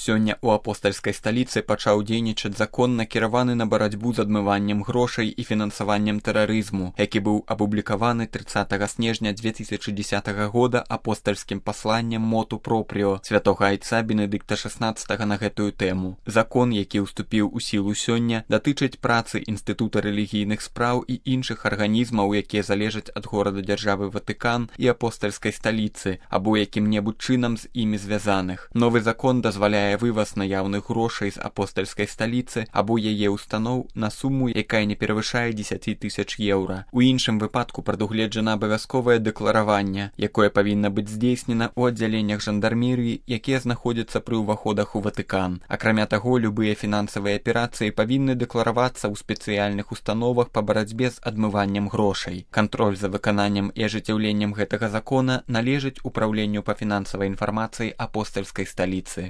Сёння ў апостальскай сталіцы пачаў дзейнічаць закон, накіраваны на барацьбу з адмываннем грошай і фінансаваннем тэрарызму, які быў апублікаваны 30 снежня 2010 года апостальскім пасланнем моту пропріо святога айца Бенедыкта XVI на гэтую тэму. Закон, які ўступіў у сілу сёння, датычыць працы Інстытута рэлігійных спраў і іншых арганізмаў, якія залежаць ад горада-дзяржавы Ватыкан і апостальскай сталіцы, або якім-небудзь чынам з імі звязаных. Новы закон дазваляе вываз наяўных грошай з апостальскай сталіцы або яе устаноў на суму, якая не перавышае 10 000 еўра. У іншым выпадку прадугледжана абавязковае дэклараванне, якое павінна быць здзейснена ў аддзяленнях жандармерыі, якія знаходзяцца пры ўваходах у Ватыкан. Акрамя таго, любыя фінансавыя аперацыі павінны дэкларавацца ў спецыяльных установах па барацьбе з адмываннем грошай. Кантроль за выкананнем і ажыццяўленнем гэтага закона належыць Упраўленню па фінансавай інфармацыі апостальскай сталіцы.